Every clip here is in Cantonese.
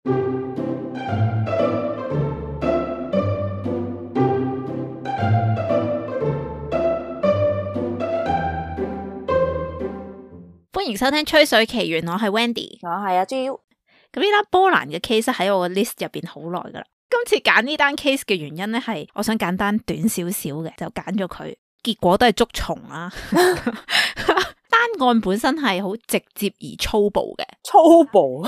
歡迎收聽《吹水奇緣》，我係 Wendy， 我係阿 Jill。咁呢單波蘭嘅 case 喺我嘅 list 入邊好耐噶啦。今次揀呢單 case 嘅原因咧，係我想簡單短少少嘅，就揀咗佢。結果都係捉蟲啦。單案本身係好直接而粗暴嘅，粗暴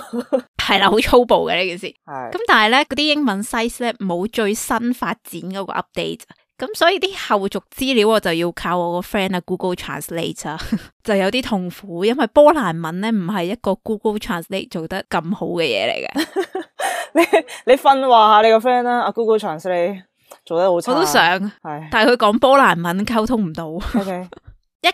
係啦，好粗暴嘅呢件事。係咁但係咧，嗰啲英文 size 咧冇最新發展嗰個 update。咁所以啲後續資料我就要靠我個 friend 啊 Google Translate 啊，就有啲痛苦，因為波蘭文咧唔係一個 Google Translate 做得咁好嘅嘢嚟嘅。你訓話下你個 friend 啦，阿 Google Translate 做得好差。我都想，係，但係佢講波蘭文溝通唔到。OK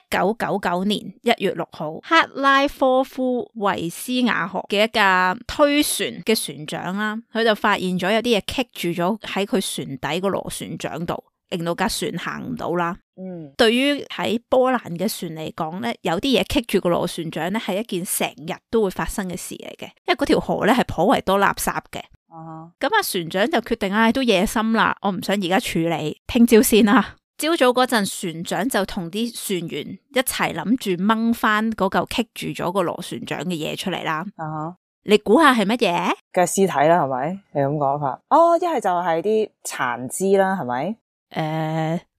1999年1月6號，克拉科夫維斯亞河嘅一架推船嘅船長啦，佢就發現咗有啲嘢棘住咗喺佢船底個螺旋槳度，令到架船行唔到啦。對於喺波蘭嘅船嚟講咧，有啲嘢棘住個螺旋槳咧，係一件成日都會發生嘅事嚟嘅，因為嗰條河咧係頗為多垃圾嘅。咁船長就決定都夜深啦，我唔想而家處理，聽朝先啦。朝早嗰陣，船長就同啲船員一齊諗住掹翻嗰嚿棘住咗個螺旋槳嘅嘢出嚟啦。你估下係乜嘢？嘅屍體啦，係咪？你咁講法？哦，一係就係啲殘肢啦，係咪？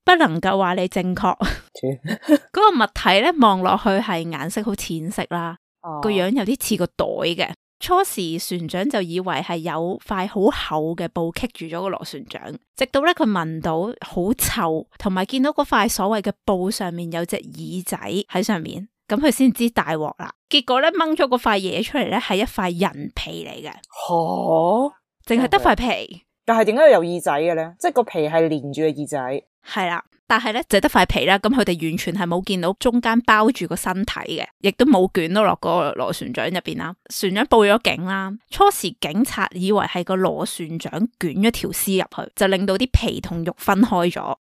不能夠話你正確。嗰個物體咧，望落去係顏色好淺色啦，個樣有啲似個袋嘅。初時船長就以為係有塊好厚嘅布棘住咗個螺旋槳，直到咧佢聞到好臭，同埋見到嗰塊所謂嘅布上面有隻耳仔喺上面，咁佢先知大鑊啦。結果咧掹咗嗰塊嘢出嚟咧，係一塊人皮嚟嘅。淨係得塊皮。但係點解有耳仔嘅咧？即係個皮係連住個耳仔。係啦，但係咧就得塊皮啦，咁佢哋完全係冇見到中間包住個身體嘅，亦都冇捲到落個螺旋槳入邊啦。船長報咗警啦，初時警察以為係個螺旋槳捲咗條屍入去，就令到啲皮同肉分開咗。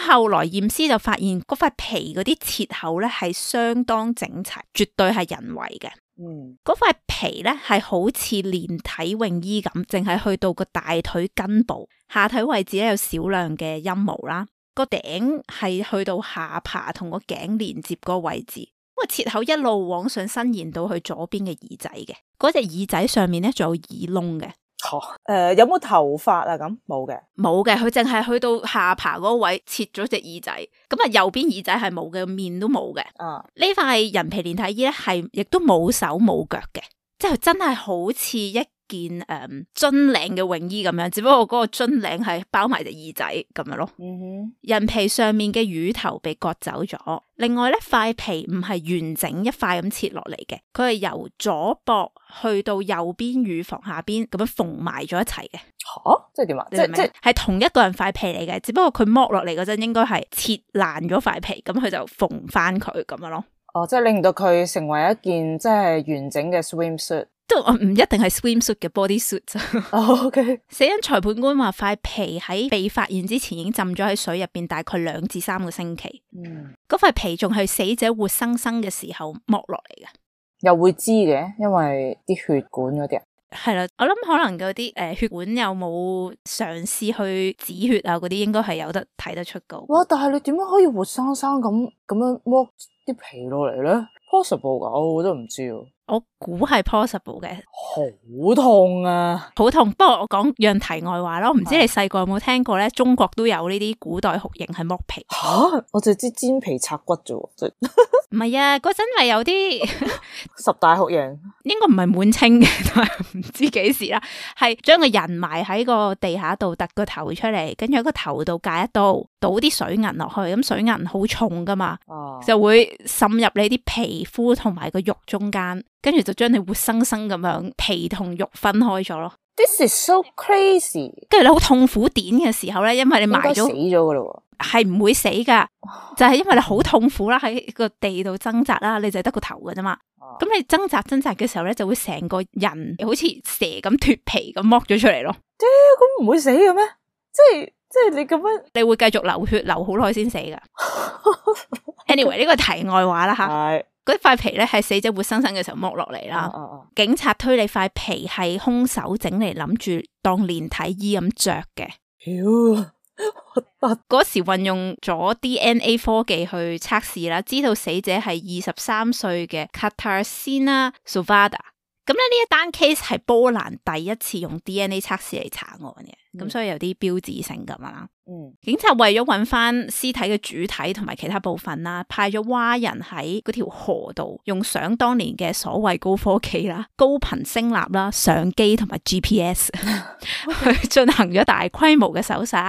後來驗屍就發現嗰塊皮嗰啲切口咧係相當整齊，絕對係人為嘅。嗰塊皮咧係好似連體泳衣咁，淨係去到個大腿根部，下體位置咧有少量嘅陰毛啦。個頂係去到下巴同個頸連接嗰個位置，個切口一路往上伸延到去左邊嘅耳仔嘅。嗰隻耳仔上面咧仲有耳窿嘅。有冇頭髮啊？咁冇嘅，冇嘅，佢淨係去到下巴嗰位切咗隻耳仔，咁啊右邊耳仔係冇嘅，面都冇嘅。呢塊人皮連體衣咧係亦都冇手冇腳嘅，即係真係好似一件樽領嘅泳衣咁樣，只不過嗰個樽領係包埋隻耳仔咁樣咯。人皮上面嘅乳頭被割走咗，另外咧塊皮唔係完整一塊咁切落嚟嘅，佢係由左膊去到右邊乳房下邊咁樣縫埋咗一齊嘅。即係點啊？即係同一個人塊皮嚟嘅，只不過佢剝落嚟嗰陣應該係切爛咗塊皮，咁佢就縫翻佢咁樣咯。即係令到佢成為一件即係完整嘅 swimsuit。都唔一定係 swimsuit 嘅 bodysuit。OK。死因裁判官話塊皮喺被發現之前已經浸咗喺水入邊大概2至3個星期。嗰塊皮仲係死者活生生嘅時候剝落嚟嘅。又會知嘅，因為啲血管嗰啲。係啦，我諗可能嗰啲血管有冇嘗試去止血啊？嗰啲應該係有得睇得出噶。哇！但係你點樣可以活生生咁樣剝啲皮落嚟咧？Possible 噶，我都唔知。我估係 possible 嘅。好痛啊！好痛。不過我講樣題外話咯，唔知你細個有冇聽過咧？中國都有呢啲古代酷刑係剝皮。我就知煎皮拆骨啫喎。唔係啊，嗰陣咪有啲10大酷刑，應該唔係滿清嘅，但係唔知幾時啦。係將個人埋喺個地下度，突個頭出嚟，跟住喺個頭度架一刀，倒啲水銀落去，咁水銀好重噶嘛，就會滲入你啲皮膚同埋個肉中間，跟住就將你活生生咁樣皮同肉分開咗咯。This is so crazy。跟住你好痛苦點嘅時候咧，因為你埋咗，死咗噶咯，係唔會死噶，就係因為你好痛苦啦，喺個地度掙扎啦，你就係得個頭噶啫嘛。咁你掙扎嘅時候咧，就會成個人好似蛇咁脫皮咁剝咗出嚟咯。咁唔會死嘅咩？即係你咁樣，你會繼續流血流好耐先死噶。Anyway 呢個題外話啦吓。嗰塊皮咧係死者活生生嘅時候剝落嚟啦。警察推理塊皮係兇手整嚟諗住當連體衣咁着嘅。嗰時運用咗 DNA 科技去測試啦，知道死者係23歲嘅 Katarzyna Sowada。咁咧呢一單 case 係波蘭第一次用 DNA 測試嚟查案嘅，咁所以有啲標誌性咁啦。警察為咗揾翻屍體嘅主體同埋其他部分啦，派咗蛙人喺嗰條河度，用想當年嘅所謂高科技啦、高頻聲納啦、相機同埋 GPS 去進行咗大規模嘅搜索。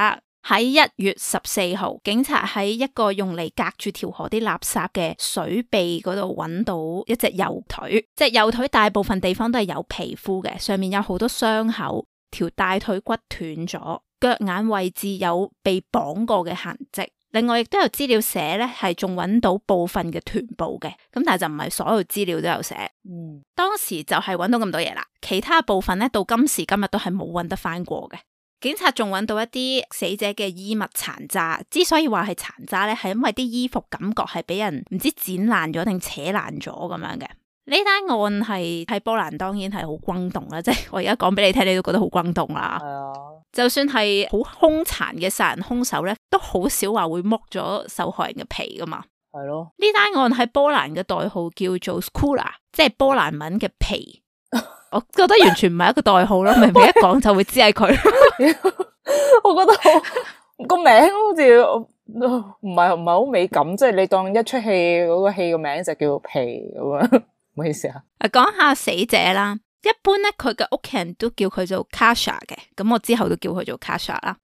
喺1月14號，警察喺一個用嚟隔住條河啲垃圾嘅水壁嗰度揾到一隻右腿。隻右腿大部分地方都係有皮膚嘅，上面有好多傷口，條大腿骨斷咗，腳眼位置有被綁過嘅痕跡。另外亦都有資料寫咧，係仲揾到部分嘅臀部嘅，咁但係就唔係所有資料都有寫。當時就係揾到咁多嘢啦，其他部分咧到今時今日都係冇揾得翻過嘅。警察仲揾到一啲死者嘅衣物殘渣，之所以話係殘渣咧，係因為啲衣服感覺係俾人唔知剪爛咗定扯爛咗咁樣嘅。呢單案係喺波蘭當然係好轟動啦，即係我而家講俾你聽，你都覺得好轟動啦。就算係好兇殘嘅殺人兇手咧，都好少話會剝咗受害人嘅皮噶嘛。係咯，呢單案喺波蘭嘅代號叫做 Skóra， 即係波蘭文嘅皮。我覺得完全唔係一個代號咯，明明一講就會知係佢。我覺得個名好似唔係好美感，即係你當一出戲嗰個戲個名就叫皮咁樣，唔好意思啊。講下死者啦，一般咧佢嘅屋企人都叫佢做 Kasia 嘅，咁我之後都叫佢做 Kasia 啦。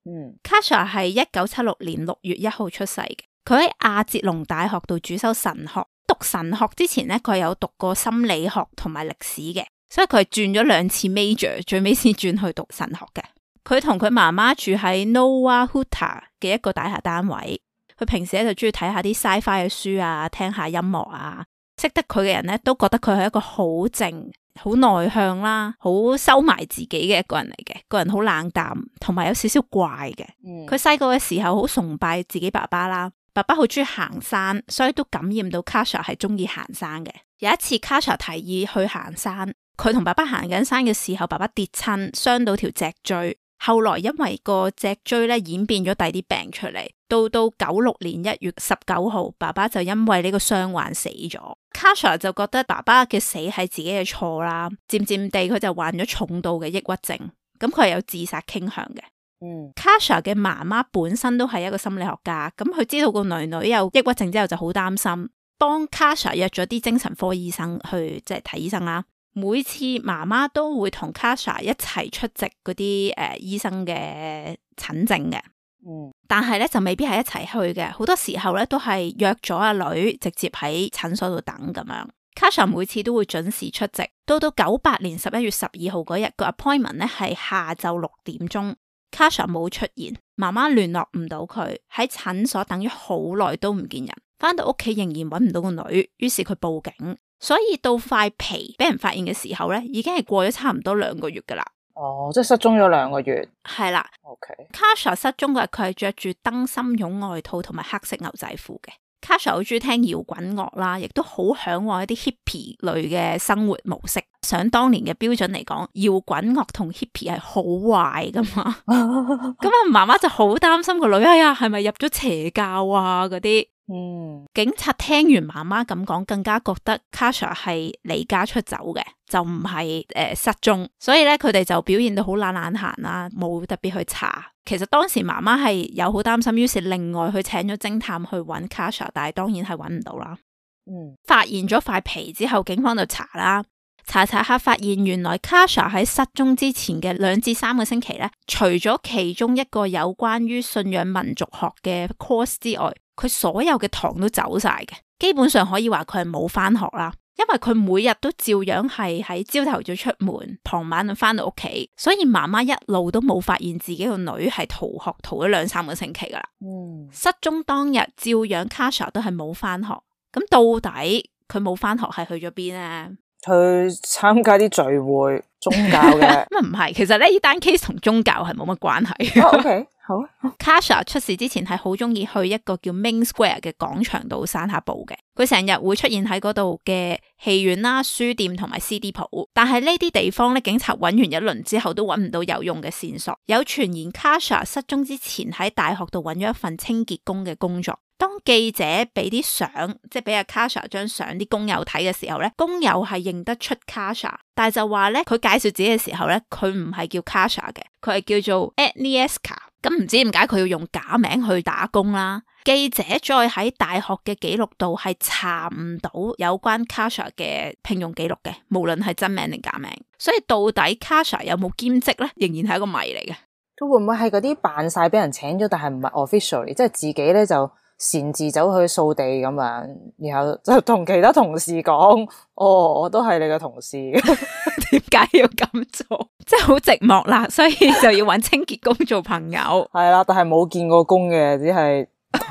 Kasia 係1976年6月1號出世嘅，佢喺亞捷龍大學度主修神學。讀神學之前咧，佢有讀過心理學同埋歷史嘅。所以佢係轉咗2次 major， 最尾先轉去讀神學嘅。佢同佢媽媽住喺 Nowa Huta 嘅一個大廈單位。佢平時咧就中意睇下啲 sci-fi 嘅書啊，聽下音樂啊。識得佢嘅人咧都覺得佢係一個好靜、好內向啦、好收埋自己嘅一個人嚟嘅。個人好冷淡，同埋有少少怪嘅。佢細個嘅時候好崇拜自己爸爸啦，爸爸好中意行山，所以都感染到 Kasia 係中意行山嘅。有一次 Kasia 提議去行山。佢同爸爸行緊山嘅時候，爸爸跌親，傷到條脊椎。後來因為個脊椎咧演變咗第啲病出嚟，到96年1月19號，爸爸就因為呢個傷患死咗。Kasia 就覺得爸爸嘅死係自己嘅錯啦，漸漸地佢就患咗重度嘅抑鬱症，咁佢係有自殺傾向嘅。Kasia 嘅媽媽本身都係一個心理學家，咁佢知道個女女有抑鬱症之後就好擔心，幫 Kasia 約咗啲精神科醫生去即係睇醫生啦。每次媽媽都會同 Kasia 一齊出席嗰啲醫生嘅診症嘅，但係咧就未必係一齊去嘅，好多時候咧都係約咗阿女直接喺診所度等咁樣。Kasia 每次都會準時出席，到98年11月12號嗰日個 appointment 咧係下晝6點鐘，Kasia 冇出現，媽媽聯絡唔到佢，喺診所等咗好耐都唔見人，翻到屋企仍然揾唔到個女，於是佢報警。所以到塊皮俾人發現嘅時候咧，已經係過咗差唔多2個月噶啦。即係失蹤咗2個月。係啦。Kasia 失蹤嗰日，佢係着住燈芯絨外套同埋黑色牛仔褲嘅。Kasia 好中意聽搖滾樂啦，亦都好向往一啲 hippie 類嘅生活模式。想當年嘅標準嚟講，搖滾樂同 hippie 係好壞噶嘛。咁啊，媽媽就好擔心個女，係咪入咗邪教啊嗰啲。警察聽完媽媽咁講，更加覺得 Kasia 係離家出走嘅，就唔係失蹤，所以咧佢哋就表現到好懶閒啦，冇特別去查。其實當時媽媽係有好擔心，於是另外去請咗偵探去揾 Kasia，但係當然係揾唔到啦。發現咗塊皮之後，警方就查啦，查下發現原來 Kasia 喺失蹤之前嘅2至3個星期咧，除咗其中一個有關於信仰民族學嘅 course 之外，佢所有嘅堂都走晒嘅，基本上可以話佢係冇翻學啦，因為佢每日都照樣係喺朝頭早出門，傍晚就翻到屋企，所以媽媽一路都冇發現自己個女係逃學逃咗2-3個星期噶啦。失蹤當日照樣 Kasia 都係冇翻學，咁到底佢冇翻學係去咗邊呢？去參加啲聚會宗教嘅。咁唔係，其實咧呢單 case 同宗教係冇乜關係。OK。好啊。Kasha 出事之前係好中意去一個叫 Main Square 嘅廣場度散下步嘅，佢成日會出現喺嗰度嘅戲院啦、書店同埋 CD 鋪，但係呢啲地方咧，警察揾完一輪之後都揾唔到有用嘅線索。有傳言 Kasha 失蹤之前喺大學度揾咗一份清潔工嘅工作。當記者俾啲相，即係俾阿 Kasha 張相啲工友睇嘅時候咧，工友係認得出 Kasha， 但係就話咧，佢介紹自己嘅時候咧，佢唔係叫 Kasha 嘅，佢係叫做 Agnieszka。咁唔知點解佢要用假名去打工啦？記者再喺大學嘅記錄度係查唔到有關 Kasha 嘅聘用記錄嘅，無論係真名定假名。所以到底 Kasha 有冇兼職咧，仍然係一個謎嚟嘅。佢會唔會係嗰啲扮晒俾人請咗，但係唔係 officially，即係自己咧就擅自走去掃地咁樣，然後就同其他同事講：哦，我都係你嘅同事。點解要咁做？即係好寂寞啦，所以就要揾清潔工做朋友。係啦，但係冇見過工嘅，只係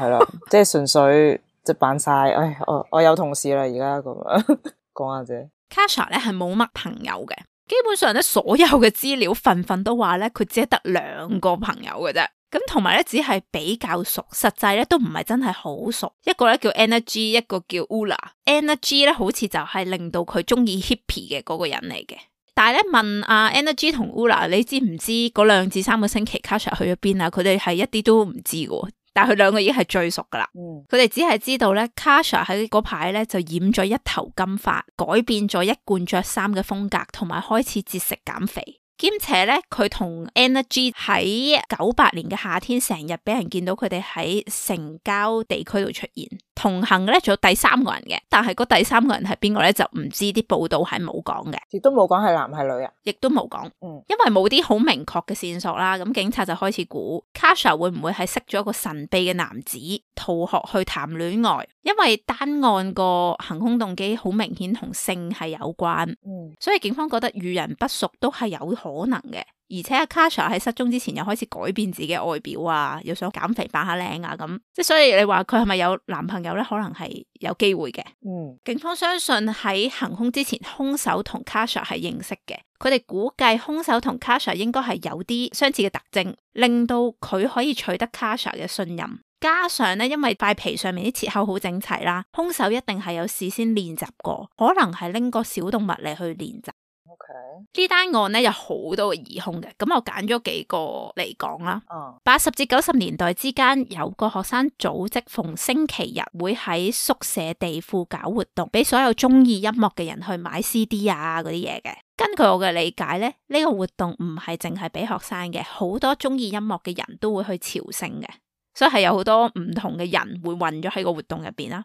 啦，即係純粹就扮晒。唉，我有同事啦，而家咁樣講下啫。Kasha 咧係冇乜朋友嘅，基本上咧所有嘅資料份都話咧佢只係得2個朋友嘅啫。咁同埋咧只係比較熟，實際咧都唔係真係好熟。一個咧叫 Energy， 一個叫 Ula。Energy 咧好似就係令到佢中意 hippie 嘅嗰個人嚟嘅。但係咧問阿 Energy 同 Ula， 你知唔知嗰2至3個星期 Kasha 去咗邊啊？佢哋係一啲都唔知嘅，但係佢2個已經係最熟噶啦。佢哋只係知道咧 Kasha 喺嗰排咧就染咗一頭金髮，改變咗一貫着衫嘅風格，同埋開始節食減肥。兼且咧，佢同 Energy 喺98年嘅夏天，成日俾人見到佢哋喺城郊地區度出現。同行嘅咧，仲有第3個人嘅，但係嗰第3個人係邊個咧，就唔知，啲報道係冇講嘅，亦都冇講係男係女啊，亦都冇講。因為冇啲好明確嘅線索啦，咁警察就開始估 Kasha 會唔會係識咗一個神秘嘅男子，逃學去談戀愛。因為單案個行兇動機好明顯同性係有關，所以警方覺得遇人不淑都係有可能嘅。而且阿 Kasha 喺失蹤之前又開始改變自己嘅外表啊，又想減肥扮下靚啊咁，即係所以你話佢係咪有男朋友咧？可能係有機會嘅。警方相信喺行兇之前，兇手同 Kasha 係認識嘅。佢哋估計兇手同 Kasha 應該係有啲相似嘅特徵，令到佢可以取得 Kasha 嘅信任。加上咧，因為塊皮上面啲切口好整齊啦，兇手一定係有事先練習過，可能係拎個小動物嚟去練習。呢單案咧有好多個疑兇嘅，咁我揀咗幾個嚟講啦。80至90年代之間，有個學生組織逢星期日會喺宿舍地庫搞活動，俾所有中意音樂嘅人去買 CD 啊嗰啲嘢嘅。根據我嘅理解咧，呢個活動唔係淨係俾學生嘅，好多中意音樂嘅人都會去朝聖嘅。所以係有好多唔同嘅人會混咗喺個活動入邊啦。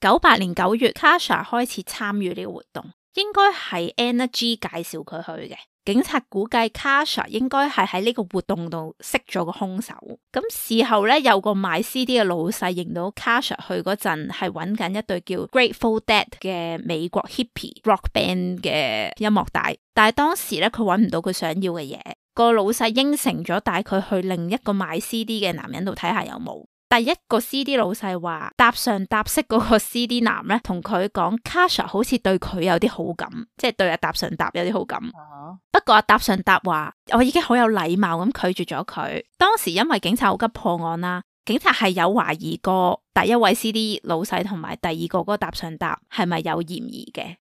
98年9月 Kasha 開始參與呢個活動，應該係 Energy 介紹佢去嘅。警察估計 Kasha 應該係喺呢個活動度識咗個兇手。咁事後咧，有個賣 CD 嘅老細認到 Kasha 去嗰陣係揾緊一隊叫 Grateful Dead 嘅美國 hippie rock band 嘅音樂帶，但係當時咧佢揾唔到佢想要嘅嘢。個老細應承咗帶佢去另一個賣 CD 嘅男人度睇下有冇。第一個 CD 老細話搭上搭識嗰個 CD 男咧，同佢講 Kasha 好似對佢有啲好感，即係對阿搭上搭有啲好感。不過阿搭上搭話我已經好有禮貌咁拒絕咗佢。當時因為警察好急破案啦，警察係有懷疑過第一位 CD 老細同埋第二個嗰個搭上搭係咪有嫌疑嘅。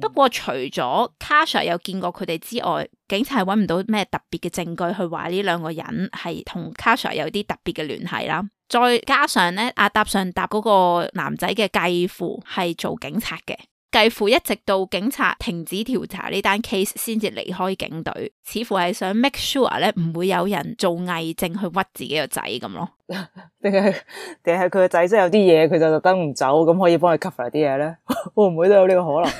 不過除咗 Kasha 有見過佢哋之外，警察係揾唔到咩特別嘅證據去話呢2個人係同 Kasha 有啲特別嘅聯繫啦。再加上咧，阿搭上搭嗰個男仔嘅繼父係做警察嘅，繼父一直到警察停止調查呢單 case 先至離開警隊，似乎係想 make sure 咧唔會有人做偽證去屈自己個仔咁咯。定係佢個仔真係有啲嘢，佢就特登唔走，咁可以幫佢 cover 啲嘢咧？會唔會都有呢個可能？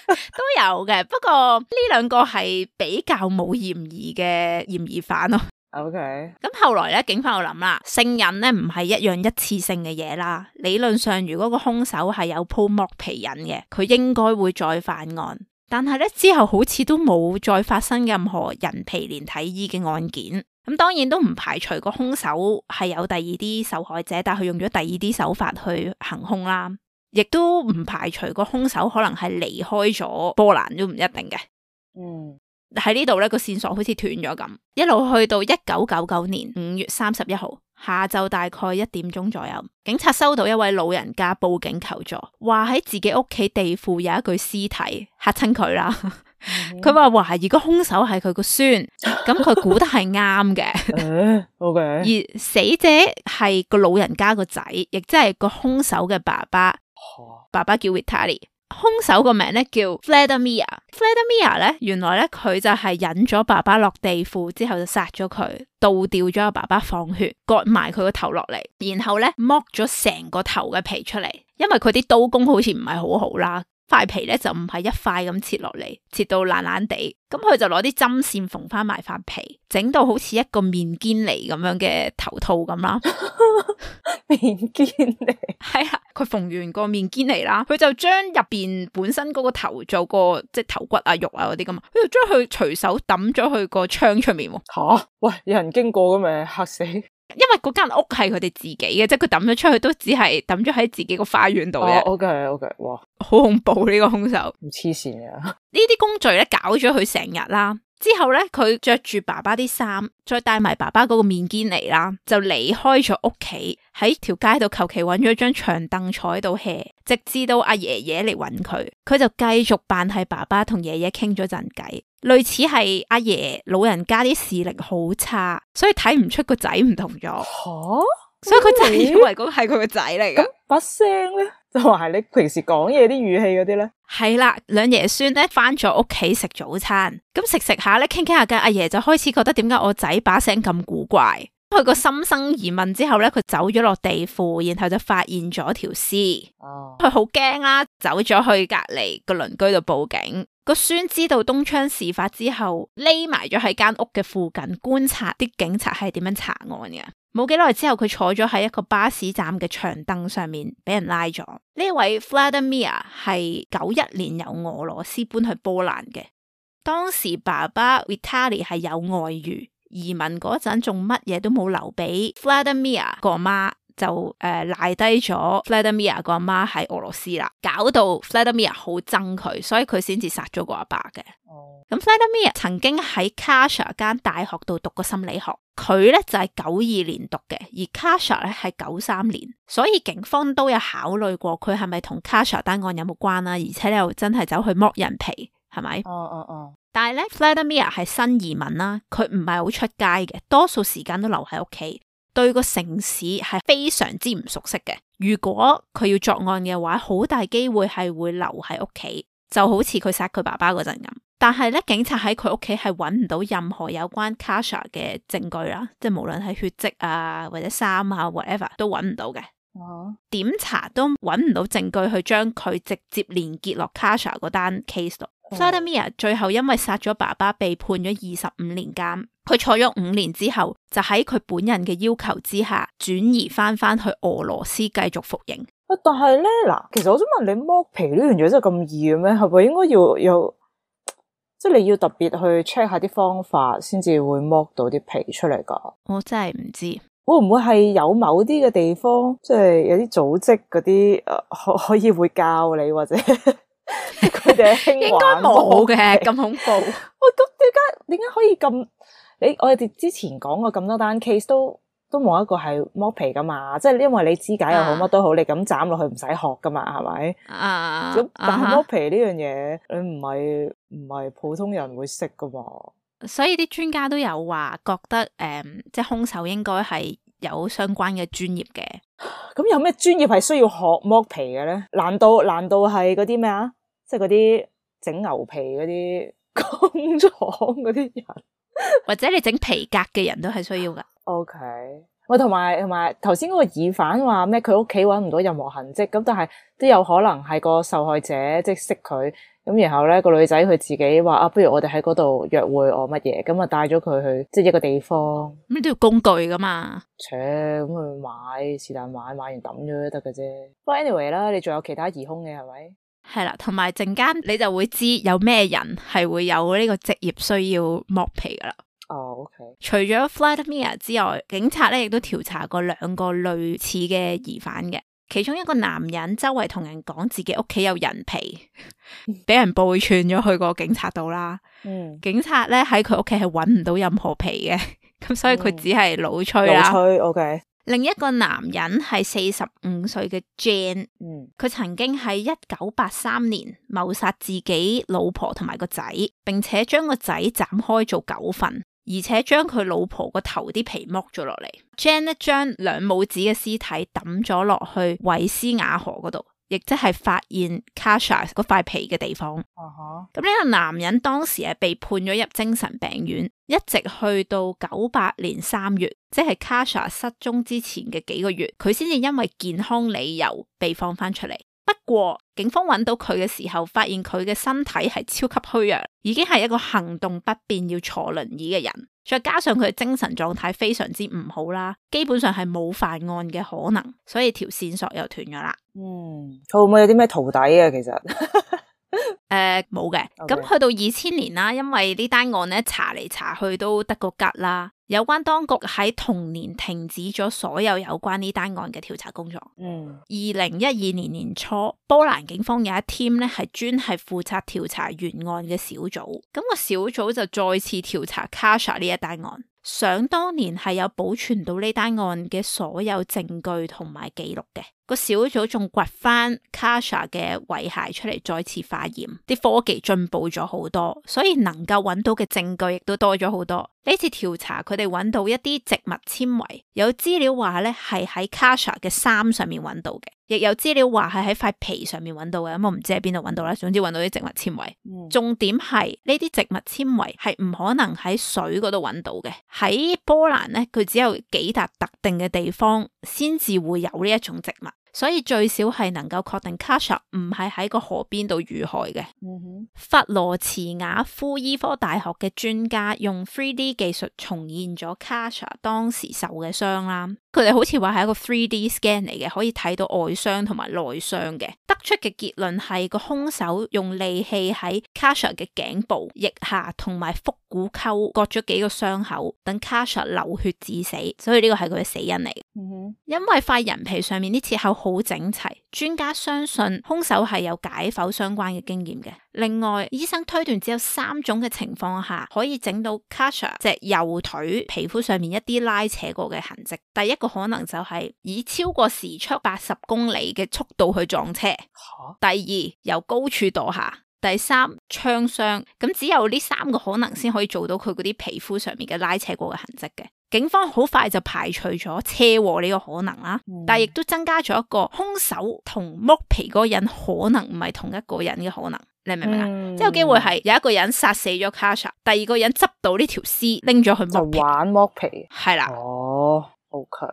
都有嘅，不過呢2個係比較冇嫌疑嘅嫌疑犯咯。OK， 咁後來咧，警方又諗啦，聖癮咧唔係一樣一次性嘅嘢啦。理論上，如果個兇手係有鋪剝皮癮嘅，佢應該會再犯案。但係咧之後好似都冇再發生任何人皮連體衣嘅案件。咁當然都唔排除個兇手係有第二啲受害者，但係佢用咗第二啲手法去行兇啦。亦都唔排除個兇手可能係離開咗波蘭都唔一定嘅。喺呢度咧個線索好似斷咗咁，一路去到1999年5月31號下晝大概1點鐘左右，警察收到一位老人家報警求助，話喺自己屋企地庫有一具屍體，嚇親佢啦。佢話懷疑個兇手係佢個孫，咁佢估得係啱嘅。OK， 而死者係個老人家個仔，亦即係個兇手嘅爸爸。爸爸叫 Vitali， 兇手個名咧叫 Vladimir。Vladimir 咧，原來咧佢就係引咗爸爸落地庫之後就殺咗佢，倒吊咗阿爸爸放血，割埋佢個頭落嚟，然後咧剝咗成個頭嘅皮出嚟，因為佢啲刀工好似唔係好好啦。塊皮咧就唔係一塊咁切落嚟，切到爛爛地，咁佢就攞啲針線縫翻埋塊皮，整到好似一個面堅尼咁樣嘅頭套咁啦。面堅尼係啊，佢縫完個面堅尼啦，佢就將入邊本身嗰個頭做個即係頭骨啊肉啊嗰啲咁，佢就將佢隨手抌咗去個窗出面。吓，喂，有人經過咁咪嚇死！因為嗰間屋係佢哋自己嘅，即係佢抌咗出去都只係抌咗喺自己個花園度嘅。OK， 哇，好恐怖呢個兇手，唔黐線嘅。呢啲工序咧搞咗佢成日啦，之後咧佢着住爸爸啲衫，再帶埋爸爸嗰個面堅尼啦，就離開咗屋企，喺條街度求其揾咗張長凳坐喺度 hea， 直至到阿爺爺嚟揾佢，佢就繼續扮係爸爸同爺爺傾咗陣偈。類似係阿爺老人家啲視力好差，所以睇唔出個仔唔同咗。所以佢就以為嗰係佢個仔嚟㗎。咁把聲咧，就話係你平時講嘢啲語氣嗰啲咧。係啦，兩爺孫咧翻咗屋企食早餐，咁食下咧傾下偈，阿爺就開始覺得點解我仔把聲咁古怪。佢個心生疑問之後咧，佢走咗落地庫，然後就發現咗條屍。佢好驚啦，走咗去隔籬個鄰居度報警。個孫知道東窗事發之後，匿埋咗喺間屋嘅附近觀察啲警察係點樣查案嘅。冇幾耐之後，佢坐咗喺一個巴士站嘅長凳上面，俾人拉咗。呢位 Vladimir 係91年由俄羅斯搬去波蘭嘅，當時爸爸 Vitali 係有外遇。移民嗰陣仲乜嘢都冇留俾 Vladimir 個媽，就賴低咗 Vladimir 個媽喺俄羅斯啦，搞到 Vladimir 好憎佢，所以佢先至殺咗個阿爸嘅。咁 Vladimir 曾經喺 Kasha 間大學度讀過心理學，佢咧就係92年讀嘅，而 Kasha 咧係93年，所以警方都有考慮過佢係咪同 Kasha 單案有冇關啦，而且你又真係走去剝人皮，係咪？但係咧 Vladimir 係新移民啦，佢唔係好出街嘅，多數時間都留喺屋企，對個城市係非常之唔熟悉嘅。如果佢要作案嘅話，好大機會係會留喺屋企，就好似佢殺佢爸爸嗰陣咁。但係咧，警察喺佢屋企係揾唔到任何有關 Kasha 嘅證據啦，即係無論係血跡啊或者衫啊 whatever 都揾唔到嘅。點查都揾唔到證據去將佢直接連結落 Kasha 嗰單 case 度。Vladimir 最後因為殺咗爸爸被判咗25年監，佢坐咗5年之後，就喺佢本人嘅要求之下轉移翻去俄羅斯繼續服刑。但係咧嗱，其實我想問你剝皮呢樣嘢真係咁易嘅咩？係咪應該要有即係你要特別去 check 下啲方法先至會剝到啲皮出嚟噶？我真係唔知會唔會係有某啲嘅地方，即係有啲組織嗰啲可以會教你或者？佢哋興應該冇嘅，咁恐怖。喂，咁點解可以咁？我哋之前講過咁多單 case 都冇一個係剝皮噶嘛？即係因為你肢解又好乜都好，你咁斬落去唔使學噶嘛，係咪？咁但係剝皮呢樣嘢，你唔係普通人會識噶嘛？所以啲專家都有話覺得，即係兇手應該係有相關嘅專業嘅。咁有咩專業係需要學剝皮嘅咧？難道係嗰啲咩啊？即係嗰啲整牛皮嗰啲工廠嗰啲人，或者你整皮革嘅人都係需要噶。OK， 喂，同埋頭先嗰個疑犯話咩？佢屋企搵唔到任何痕跡，咁但係都有可能係個受害者即係識佢，咁然後咧個女仔佢自己話不如我哋喺嗰度約會我乜嘢，咁啊帶咗佢去即係一個地方。咁都要工具噶嘛？咁去買是但買完抌咗都得嘅啫。不過 anyway 啦，你仲有其他疑兇嘅係咪？係啦，同埋陣間你就會知有咩人係會有呢個職業需要剝皮噶啦。OK。除咗 Vladimir 之外，警察咧亦都調查過2個類似嘅疑犯嘅。其中一個男人周圍同人講自己屋企有人皮，俾人報串咗去個警察度啦。警察咧喺佢屋企係揾唔到任何皮嘅，咁所以佢只係老吹啦。老吹 OK。另一個男人係45歲嘅 Jane，佢曾經喺1983年謀殺自己老婆同埋個仔，並且將個仔斬開做9份，而且將佢老婆個頭啲皮剝咗落嚟。Jane 咧將兩母子嘅屍體抌咗落去韋斯雅河嗰度，亦即係發現 Kasha 嗰塊皮嘅地方。咁呢個男人當時係被判咗入精神病院，一直去到98年3月，即係 Kasha 失蹤之前嘅幾個月，佢先至因為健康理由被放翻出嚟。不過警方揾到佢嘅時候，發現佢嘅身體係超級虛弱，已經係一個行動不便要坐輪椅嘅人，再加上佢嘅精神狀態非常之唔好啦，基本上係冇犯案嘅可能，所以條線索又斷咗啦。佢會唔會有啲咩徒弟啊？其實冇嘅。咁去到2000年啦，因為呢單案咧查嚟查去都得個吉啦，有關當局喺同年停止咗所有有關呢單案嘅調查工作。2012年年初，波蘭警方有一 team 咧係專係負責調查原案嘅小組，咁個小組就再次調查 Kasha 呢一單案。想當年係有保存到呢單案嘅所有證據同埋記錄嘅，個小組仲掘翻 Kasha 嘅遺骸出嚟再次化驗，啲科技進步咗好多，所以能夠揾到嘅證據亦都多咗好多。呢次調查佢哋揾到一啲植物纖維，有資料話咧係喺 Kasha 嘅衫上面揾到嘅，亦有資料話係喺塊皮上面揾到嘅，咁我唔知喺邊度揾到啦。總之揾到啲植物纖維。重點係呢啲植物纖維係唔可能喺水嗰度揾到嘅，喺波蘭咧佢只有幾笪特定嘅地方先至會有呢一種植物。所以最少係能夠確定 Kasha 唔係喺個河邊度遇害嘅。弗羅茨瓦夫醫科大學嘅專家用 3D 技術重現咗 Kasha 當時受嘅傷啦。佢哋好似話係一個 3D scan 嚟嘅，可以睇到外傷同埋內傷嘅。得出嘅結論係個兇手用利器喺 Kasha 嘅頸部、腋下同埋腹股溝割咗幾個傷口，等 Kasha 流血致死。所以呢個係佢嘅死因嚟。因為塊人皮上面啲切口好整齊，專家相信兇手係有解剖相關嘅經驗嘅。另外，醫生推斷只有3種嘅情況下可以整到 Kasha 隻右腿皮膚上面一啲拉扯過嘅痕跡。第一個可能就係以超過時速80公里嘅速度去撞車。第二，由高處墮下。第三，槍傷。咁只有呢3個可能先可以做到佢嗰啲皮膚上面嘅拉扯過嘅痕跡嘅。警方好快就排除咗車禍呢個可能啦，但係亦都增加咗一個兇手同剝皮嗰個人可能唔係同一個人嘅可能。你明唔明啊？即係有機會係有一個人殺死咗 Kasha， 第二個人執到呢條屍拎咗去剝皮，就玩剝皮。係啦。OK。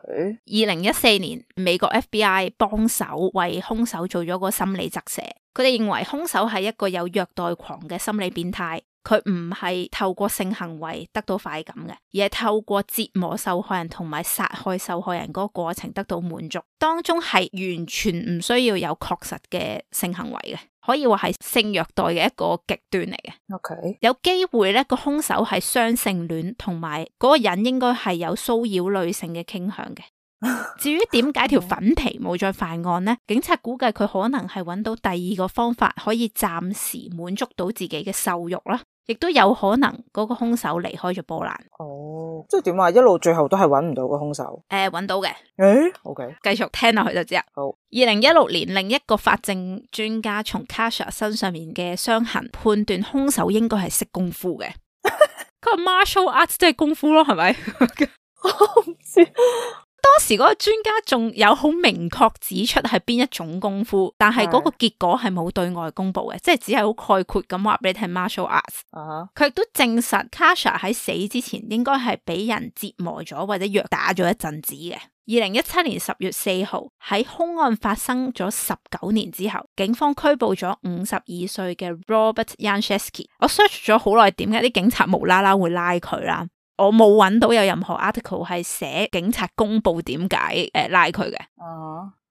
2014年，美國 FBI 幫手為兇手做咗個心理側寫，佢哋認為兇手係一個有虐待狂嘅心理變態。佢唔係透過性行為得到快感嘅，而係透過折磨受害人同埋殺害受害人嗰個過程得到滿足，當中係完全唔需要有確實嘅性行為嘅，可以話係性虐待嘅一個極端嚟嘅。OK。有機會咧個兇手係雙性戀，同埋嗰個人應該係有騷擾女性嘅傾向嘅。至於點解條粉皮冇再犯案呢？警察估計佢可能係揾到第二個方法可以暫時滿足到自己嘅獸慾啦，亦都有可能嗰個兇手離開咗波蘭。即係點啊？一路最後都係揾唔到個兇手？揾到嘅。OK。繼續聽落去就知啦。好。2016年，另一個法證專家從 Kasha 身上面嘅傷痕判斷兇手應該係識功夫嘅。佢話 martial arts 即係功夫咯，係咪？我唔知。當時嗰個專家仲有好明確指出係邊一種功夫，但係嗰個結果係冇對外公布嘅，即係只係好概括咁話俾你聽 martial arts。佢亦都證實 Kasha 喺死之前應該係俾人折磨咗或者虐打咗一陣子嘅。2017年10月4號，喺兇案發生咗19年之後，警方拘捕咗52歲嘅 Robert Jankowski。我 search 咗好耐，點解啲警察無啦啦會拉佢啦？我冇揾到有任何 article 係寫警察公布點解拉佢嘅。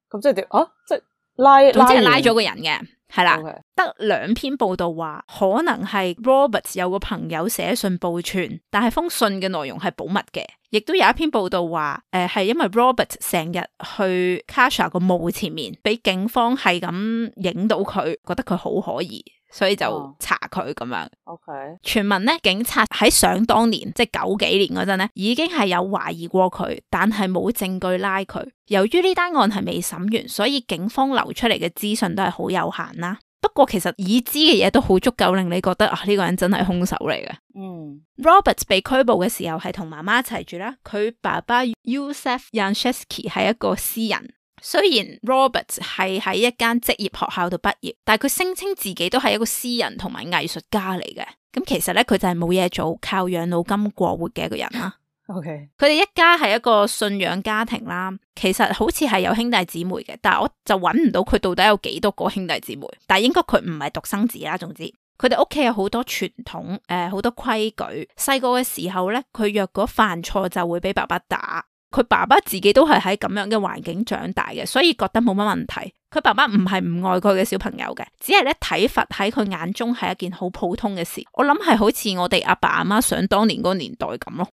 咁即係點？即係拉，總之係拉咗個人嘅，係啦。Okay. 得2篇報道話，可能係 Robert 有個朋友寫信報串，但係封信嘅內容係保密嘅，亦都有一篇報道話，係因為 Robert 成日去 Kasha 個墓前面，俾警方係咁影到佢，覺得佢好可疑，所以就查佢咁樣。OK，傳聞咧，警察喺想當年，即係90幾年嗰陣咧，已經係有懷疑過佢，但係冇證據拉佢。由於呢單案係未審完，所以警方流出嚟嘅資訊都係好有限啦。不過其實已知嘅嘢都好足夠令你覺得呢個人真係兇手嚟嘅。Robert 被拘捕嘅時候係同媽媽一齊住啦，佢爸爸 Yusef Yanchesky 係一個詩人。雖然 Robert 係喺一間職業學校度畢業，但係佢聲稱自己都係一個詩人同埋藝術家嚟嘅。咁其實咧，佢就係冇嘢做，靠養老金過活嘅一個人啦。OK，佢哋一家係一個信仰家庭啦，其實好似係有兄弟姊妹嘅，但係我就揾唔到佢到底有幾多個兄弟姊妹，但係應該佢唔係獨生子啦。總之，佢哋屋企有好多傳統，好多規矩。細個嘅時候咧，佢若果犯錯就會俾爸爸打。佢爸爸自己都係喺咁樣嘅環境長大嘅，所以覺得冇乜問題。佢爸爸唔係唔愛佢嘅小朋友嘅，只係咧體罰喺佢眼中係一件好普通嘅事。我諗係好似我哋阿爸阿媽想當年嗰個年代咁咯。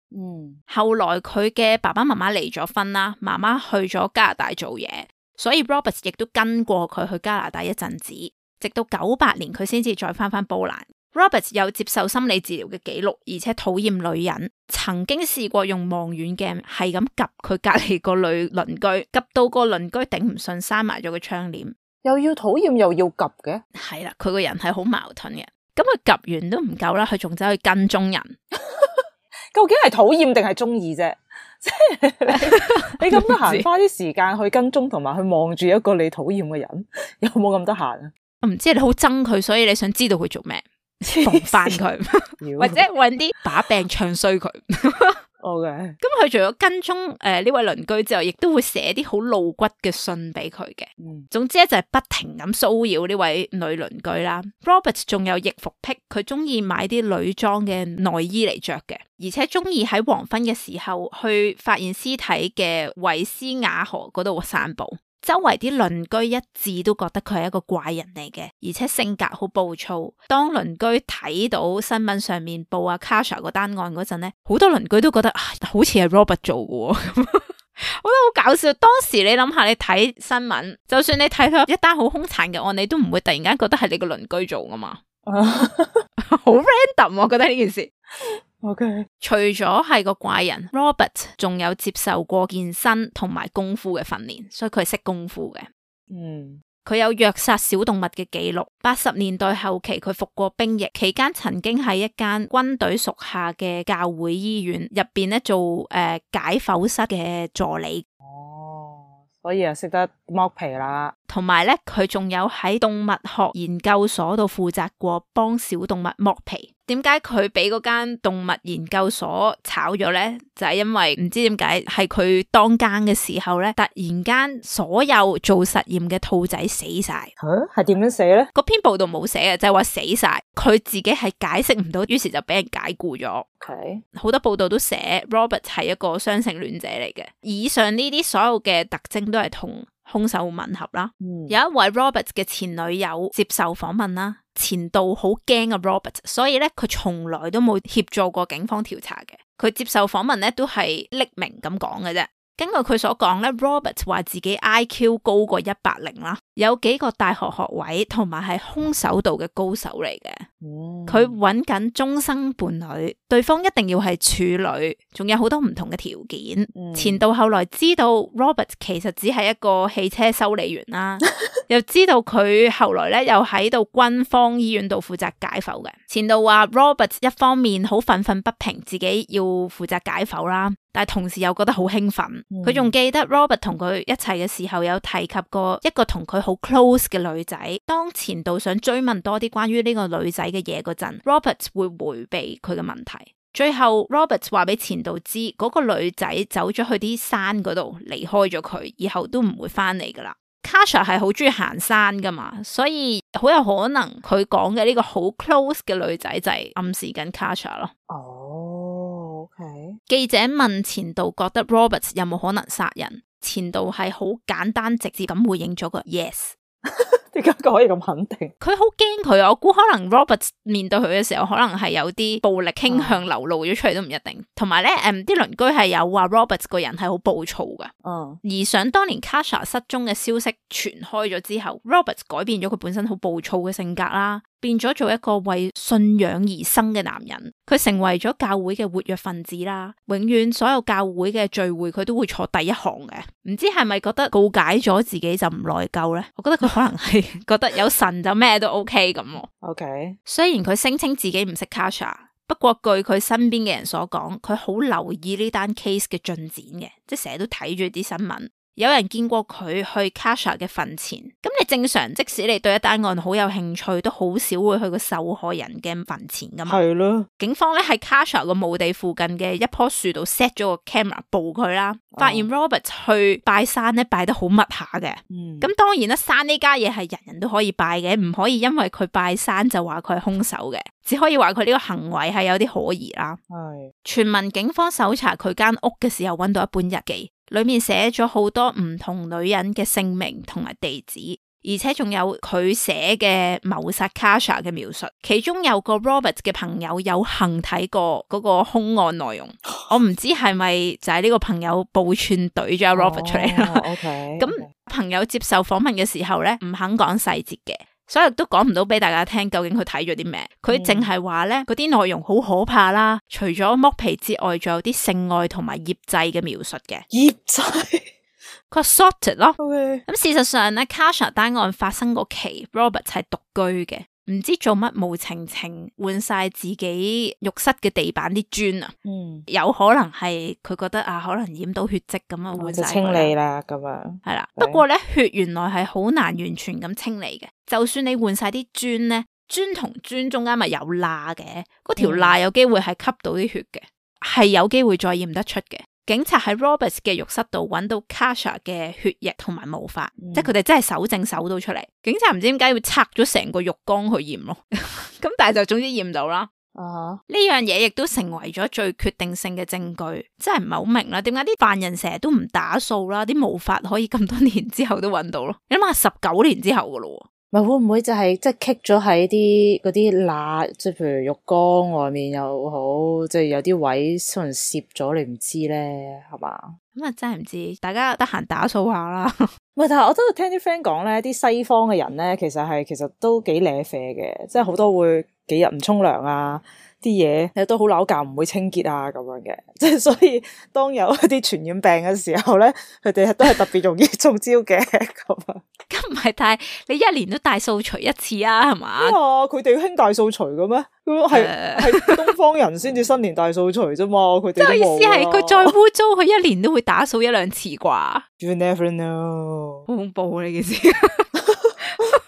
後來佢嘅爸爸媽媽離咗婚啦，媽媽去咗加拿大做嘢，所以 Robert 亦都跟過佢去加拿大一陣子，直到98年佢先至再翻波蘭。Robert 有接受心理治療嘅記錄，而且討厭女人，曾經試過用望遠鏡係咁及佢隔籬個女鄰居，及到個鄰居頂唔順，閂埋咗個窗簾。又要討厭又要及嘅，係啦，佢個人係好矛盾嘅。咁佢及完都唔夠啦，佢仲走去跟蹤人。究竟係討厭定係中意啫？即係你咁得閒花啲時間去跟蹤同埋去望住一個你討厭嘅人，有冇咁得閒啊？我唔知你好憎佢，所以你想知道佢做咩？防範佢，或者揾啲把柄唱衰佢。OK，咁佢除咗跟蹤呢位鄰居之後，亦都會寫啲好露骨嘅信俾佢嘅。總之咧就係不停咁騷擾呢位女鄰居啦。Robert 仲有易服癖，佢中意買啲女裝嘅內衣嚟着嘅，而且中意喺黃昏嘅時候去發現屍體嘅維斯雅河嗰度散步。周圍啲鄰居一致都覺得佢係一個怪人嚟嘅，而且性格好暴躁。當鄰居睇到新聞上面報阿 Kasha 嗰單案嗰陣咧，好多鄰居都覺得好似係 Robert 做嘅，我覺得好搞笑。當時你諗下，你睇新聞，就算你睇到一單好兇殘嘅案，你都唔會突然間覺得係你個鄰居做噶嘛，好 random，我覺得呢件事。OK， 除咗係個怪人 ，Robert 仲有接受過健身同埋功夫嘅訓練，所以佢係識功夫嘅。佢有虐殺小動物嘅記錄。80年代後期，佢服過兵役，期間曾經喺一間軍隊屬下嘅教會醫院入邊咧做解剖室嘅助理。所以啊，識得剝皮啦。同埋咧，佢仲有喺動物學研究所度負責過幫小動物剝皮。點解佢俾嗰間動物研究所炒咗咧？就係因為唔知點解係佢當更嘅時候咧，突然間所有做實驗嘅兔仔死晒。係點樣死咧？嗰篇報道冇寫嘅，就係話死晒。佢自己係解釋唔到，於是就俾人解僱咗。OK，好多報道都寫 Robert 係一個雙性戀者嚟嘅。以上呢啲所有嘅特徵都係同兇手吻合啦。有一位 Robert 嘅前女友接受訪問啦，前度好驚啊 Robert， 所以咧佢從來都冇協助過警方調查嘅。佢接受訪問咧都係匿名咁講嘅啫。根據佢所講咧 ，Robert 話自己 IQ 高過100啦，有幾個大學學位，同埋係空手道嘅高手嚟嘅。佢揾緊終生伴侶，對方一定要係處女，仲有好多唔同嘅條件。前度後來知道 Robert 其實只係一個汽車修理員啦，又知道佢後來咧又喺度軍方醫院度負責解剖嘅。前度話 Robert 一方面好憤憤不平，自己要負責解剖啦，但係同時又覺得好興奮。佢仲記得 Robert 同佢一齊嘅時候有提及過一個同佢好 close 嘅女仔。當前度想追問多啲關於呢個女仔嘅嘢嗰陣 ，Robert 會迴避佢嘅問題。最後 Robert 話俾前度知，嗰個女仔走咗去啲山嗰度，離開咗佢，以後都唔會翻嚟噶啦。Kasha 係好中意行山噶嘛，所以好有可能佢講嘅呢個好 close 嘅女仔就係暗示緊 Kasha 咯。Okay. 記者問前度覺得 Robert 有冇可能殺人，前度係好簡單直接咁回應咗個 yes。點解佢可以咁肯定？佢好驚佢啊！我估可能 Robert 面對佢嘅時候，可能係有啲暴力傾向流露咗出嚟都唔一定。同埋咧，啲鄰居係有話 Robert 個人係好暴躁噶。而想當年 Kasha 失蹤嘅消息傳開咗之後，Robert 改變咗佢本身好暴躁嘅性格啦，變咗做一個為信仰而生嘅男人。佢成為咗教會嘅活躍分子啦，永遠所有教會嘅聚會佢都會坐第一行嘅。唔知係咪覺得告解咗自己就唔內疚呢？我覺得佢可能係覺得有神就咩都 OK 咁。OK， 雖然佢聲稱自己唔識 Kasha， 不過據佢身邊嘅人所講，佢好留意呢單 case 嘅進展嘅，即係成日都睇住啲新聞。有人見過佢去 Kasha 嘅墳前，咁你正常即使你對一單案好有興趣，都好少會去個受害人嘅墳前噶嘛。係咯。警方咧喺 Kasha 個墓地附近嘅一棵樹度 set 咗個 camera 捕佢啦，發現 Robert 去拜山咧拜得好密下嘅。咁當然啦，山呢家嘢係人人都可以拜嘅，唔可以因為佢拜山就話佢係兇手嘅，只可以話佢呢個行為係有啲可疑啦。係。全民警方搜查佢間屋嘅時候，揾到一本日記。裏面寫咗好多唔同女人嘅姓名同埋地址，而且仲有佢寫嘅謀殺 Kasha 嘅描述，其中有個 Robert 嘅朋友有幸睇過嗰個兇案內容。我唔知係咪就係呢個朋友報串懟咗 Robert 出嚟啦。咁朋友接受訪問嘅時候咧，唔肯講細節嘅。所以都講唔到俾大家聽究竟佢睇咗啲咩，佢淨係話咧嗰啲內容好可怕啦，除咗剝皮之外，仲有啲性愛同埋醃製嘅描述嘅。醃製？佢話 sorted 咯。咁事實上咧 Kasha 單案發生嗰期 Robert 係獨居嘅，唔知做乜無情情換晒自己浴室嘅地板啲磚啊。有可能係佢覺得啊，可能染到血跡咁啊，換晒清理啦咁樣。係啦，不過咧血原來係好難完全咁清理嘅。就算你換晒啲磚咧，磚同磚中間咪有罅嘅，嗰條罅有機會係吸到啲血嘅，係有機會再驗得出嘅。警察喺 Robert 嘅浴室度揾到 Kasha 嘅血液同埋毛髮，即係佢哋真係搜證搜到出嚟。警察唔知點解要拆咗成個浴缸去驗咯，咁但係就總之驗到啦。呢樣嘢亦都成為咗最決定性嘅證據，真係唔係好明啦，點解啲犯人成日都唔打掃啦，啲毛髮可以咁多年之後都揾到咯？你諗下19年之後噶咯。咪會唔會就係即係棘咗喺啲嗰啲罅，即係譬如浴缸外面又好，即係有啲位可能攝咗，你唔知咧，係嘛？咁啊真係唔知，大家得閒打掃下啦。唔係，但係我都聽啲 friend 講咧，啲西方嘅人咧，其實都幾瀨啡嘅，即係好多會幾日唔沖涼啊。啲嘢都好扭教，唔會清潔啊咁樣嘅，即係所以當有一啲傳染病嘅時候咧，佢哋都係特別容易中招嘅咁啊。咁唔係，但係你一年都大掃除一次啊，係嘛？佢哋興大掃除嘅咩？咁係東方人先至新年大掃除啫嘛，佢哋都冇。即係意思係佢再污糟，佢一年都會打掃1-2次啩。You never know，好恐怖呢件事。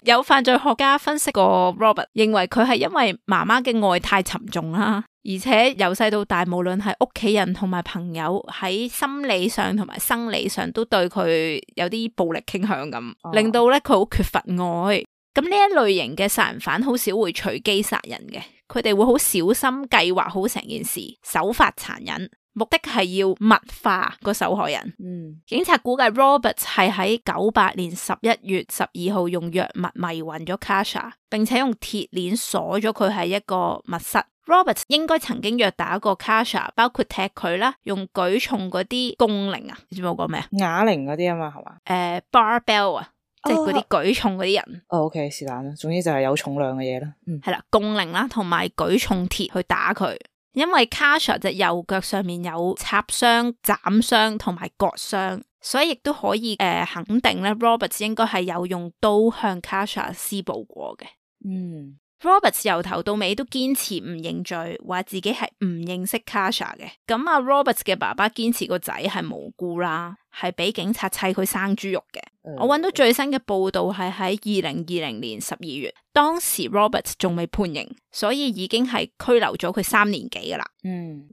有犯罪學家分析過 Robert， 認為佢係因為媽媽嘅愛太沉重啦，而且由細到大，無論係屋企人同埋朋友喺心理上同埋生理上都對佢有啲暴力傾向咁，令到咧佢好缺乏愛。咁呢一類型嘅殺人犯好少會隨機殺人嘅，佢哋會好小心計劃好成件事，手法殘忍。目的係要物化個受害人。警察估計 Robert 係喺98年11月12號用藥物迷暈咗 Kasha， 並且用鐵鏈鎖咗佢喺一個密室。Robert 應該曾經虐打過 Kasha， 包括踢佢啦，用舉重嗰啲槓鈴啊，你知唔知我講咩啊？啞鈴嗰啲啊嘛，係嘛？barbell 啊，即係嗰啲舉重嗰啲人。OK， 是但啦，總之就係有重量嘅嘢啦。係啦，槓鈴啦，同埋舉重鐵去打佢。因為 Kasha 隻右腳上面有插傷、斬傷同埋割傷，所以亦都可以肯定咧 Robert 應該係有用刀向 Kasha 施暴過嘅。Robert 由頭到尾都堅持唔認罪，話自己係唔認識 Kasha 嘅。咁啊 Robert 嘅爸爸堅持個仔係無辜啦，係俾警察砌佢生豬肉嘅。我揾到最新嘅報道係喺2020年12月，當時 Robert 仲未判刑，所以已經係拘留咗佢3年幾噶啦。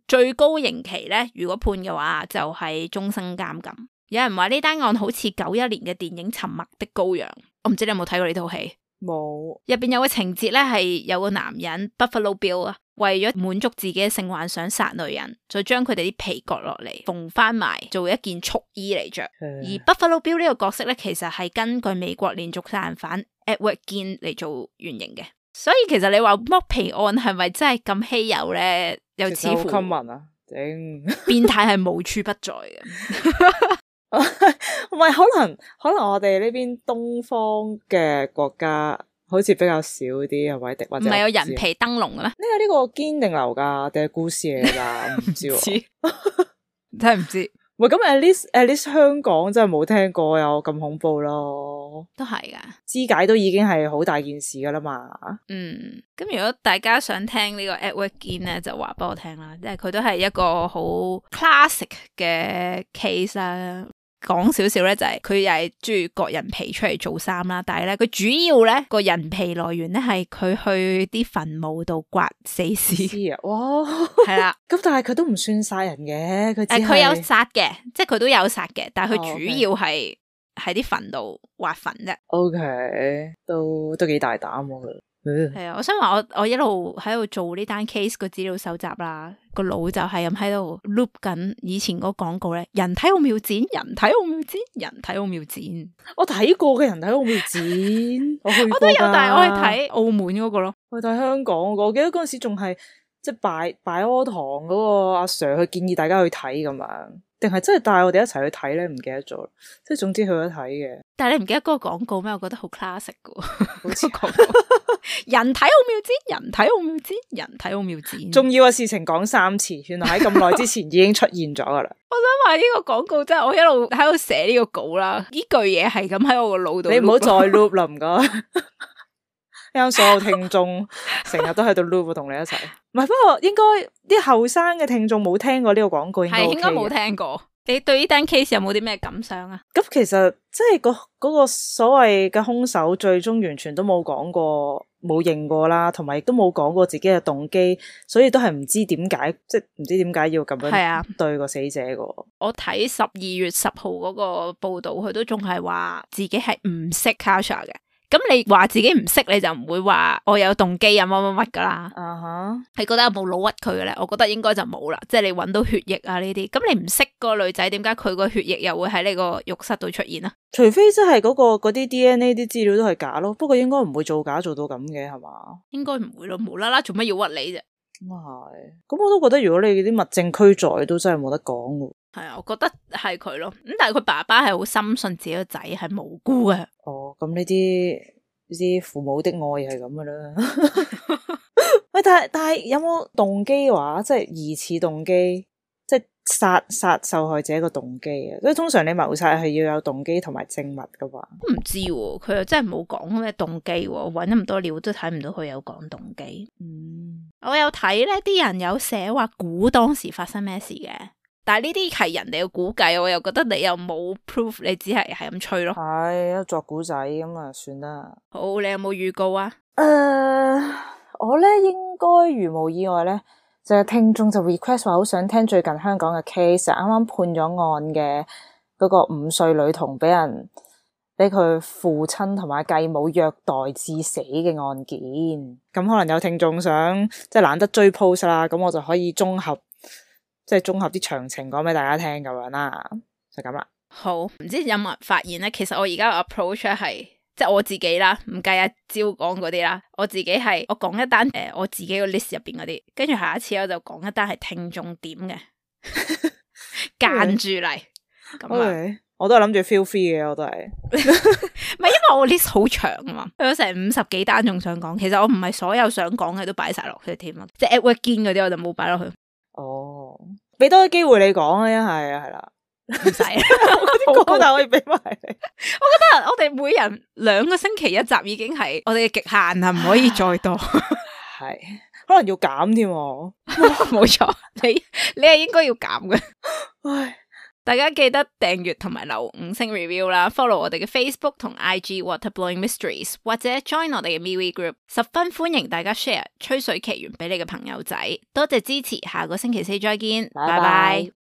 最高刑期咧，如果判嘅話就係終身監禁。有人話呢單案好似91年嘅電影《沉默的羔羊》，我唔知你有冇睇過呢套戲。冇。入邊有個情節咧，係有個男人 Buffalo Bill 啊，為咗滿足自己嘅性幻想殺女人，再將佢哋啲皮割落嚟縫翻埋做一件束衣嚟着。而 Buffalo Bill 呢個角色咧，其實係根據美國連續殺人犯 Edward Gein 嚟做原型嘅。所以其實你話剝皮案係咪真係咁稀有咧？又似乎好 common 啊，頂變態係無處不在嘅。唔係，可能我哋呢邊東方嘅國家好似比較少啲，係咪？或者唔係有人皮燈籠嘅咩？呢個堅定流噶定係故事嚟噶？唔知喎，真係唔知。喂，咁 at least 香港真係冇聽過有咁恐怖咯，都係噶，肢解都已經係好大件事噶啦嘛。咁如果大家想聽呢個 Edward Gein 咧，就話俾我聽啦，即係佢都係一個好 classic 嘅 case 啦。講少少咧，就係佢又係中意割人皮出嚟做衫啦，但係咧佢主要咧個人皮來源咧係佢去啲墳墓度刮死屍啊！哇，係啦，咁但係佢都唔算殺人嘅，佢有殺嘅，即係佢都有殺嘅，但係佢主要係喺啲墳度挖墳啫。OK，都幾大膽喎。係啊，我想話我一路喺度做呢單 case 個資料搜集啦，個腦就係咁喺度 loop 緊以前嗰個廣告咧，人體奧妙展，人體奧妙展，人體奧妙展。我睇過嘅人體奧妙展，我去過。我都有，但係我去睇澳門嗰個咯，我睇香港嗰個。我記得嗰陣時仲係即係拜柯堂嗰個阿 Sir 去建議大家去睇咁樣，定係真係帶我哋一齊去睇咧？唔記得咗，即係總之去咗睇嘅。但係你唔記得嗰個廣告咩？我覺得好 classic 噶，好似廣告。人體奧妙展，人體奧妙展，人體奧妙展。重要嘅事情講3次，原來喺咁耐之前已經出現咗噶啦。我想話呢個廣告真係我一路喺度寫呢個稿啦，呢句嘢係咁喺我個腦度。你唔好再 loop 啦，唔該。啱所有聽眾成日都喺度 loop 同你一齊。唔係，不過應該啲後生嘅聽眾冇聽過呢個廣告，應該冇聽過。你對呢單 case 有冇啲咩感想啊？咁其實即係嗰個所謂嘅兇手最終完全都冇講過，冇認過啦，同埋亦都冇講過自己嘅動機，所以都係唔知點解，即係唔知點解要咁樣對個死者個。我睇12月10號嗰個報道，佢都仲係話自己係唔識 Kasha 嘅。咁你話自己唔識，你就唔會話我有動機啊乜乜乜噶啦。你覺得有冇老屈佢嘅咧？我覺得應該就冇啦。即係你搵到血液啊呢啲，咁你唔識個女仔，點解佢個血液又會喺呢個浴室度出現啊？除非真係嗰啲 DNA 啲資料都係假咯。不過應該唔會造假做到咁嘅，係嘛？應該唔會咯，無啦啦做乜要屈你啫？咁係，咁我都覺得如果你啲物證俱在，都真係冇得講喎。係啊，我覺得係佢咯。咁但係佢爸爸係好深信自己個仔係無辜嘅。哦，咁呢啲父母的愛係咁噶啦。喂，但係有冇動機話，即係疑似動機，即係殺受害者個動機啊？所以通常你謀殺係要有動機同埋證物噶嘛？唔知喎，佢又真係冇講咩動機喎，搵咁多料都睇唔到佢有講動機。我有睇咧，啲人有寫話估當時發生咩事嘅。但係呢啲係人哋嘅估計，我又覺得你又冇 proof， 你只係咁吹咯。係作古仔咁啊，算啦。好，你有冇預告啊？我咧應該如無意外咧，就聽眾就 request 話好想聽最近香港嘅 case，啱啱判咗案嘅嗰個5歲女童俾佢父親同埋繼母虐待致死嘅案件。咁可能有聽眾想即係懶得追 post 啦，咁我就可以綜合啲詳情講俾大家聽咁樣啦，就咁啦。好，唔知有冇人發現咧？其實我而家嘅 approach 係即係我自己啦，唔計阿招講嗰啲啦，我自己係我講一單我自己個 list 入邊嗰啲，跟住下一次我就講一單係聽眾點嘅間住嚟。咁我都係諗住 feel free 嘅，我都係。唔係因為我 list 好長啊嘛，有成50幾單仲想講，其實我唔係所有想講嘅都擺晒落去添啊，即係 Edward Gein 嗰啲我就冇擺落去。哦，俾多啲機會你講啊，一係啦，唔使，我啲但可以俾埋你。我覺得我哋每人2個星期一集已經係我哋嘅極限啦，唔可以再多。係，可能要減添。冇錯，你係應該要減嘅。唉，大家記得訂閱同埋留5星 review 啦 ，follow 我哋嘅 Facebook 同 IG Waterblowing Mysteries， 或者 join 我哋嘅 MeWe Group， 十分歡迎大家 share 吹水奇緣俾你嘅朋友仔。多謝支持，下個星期4再見，拜拜。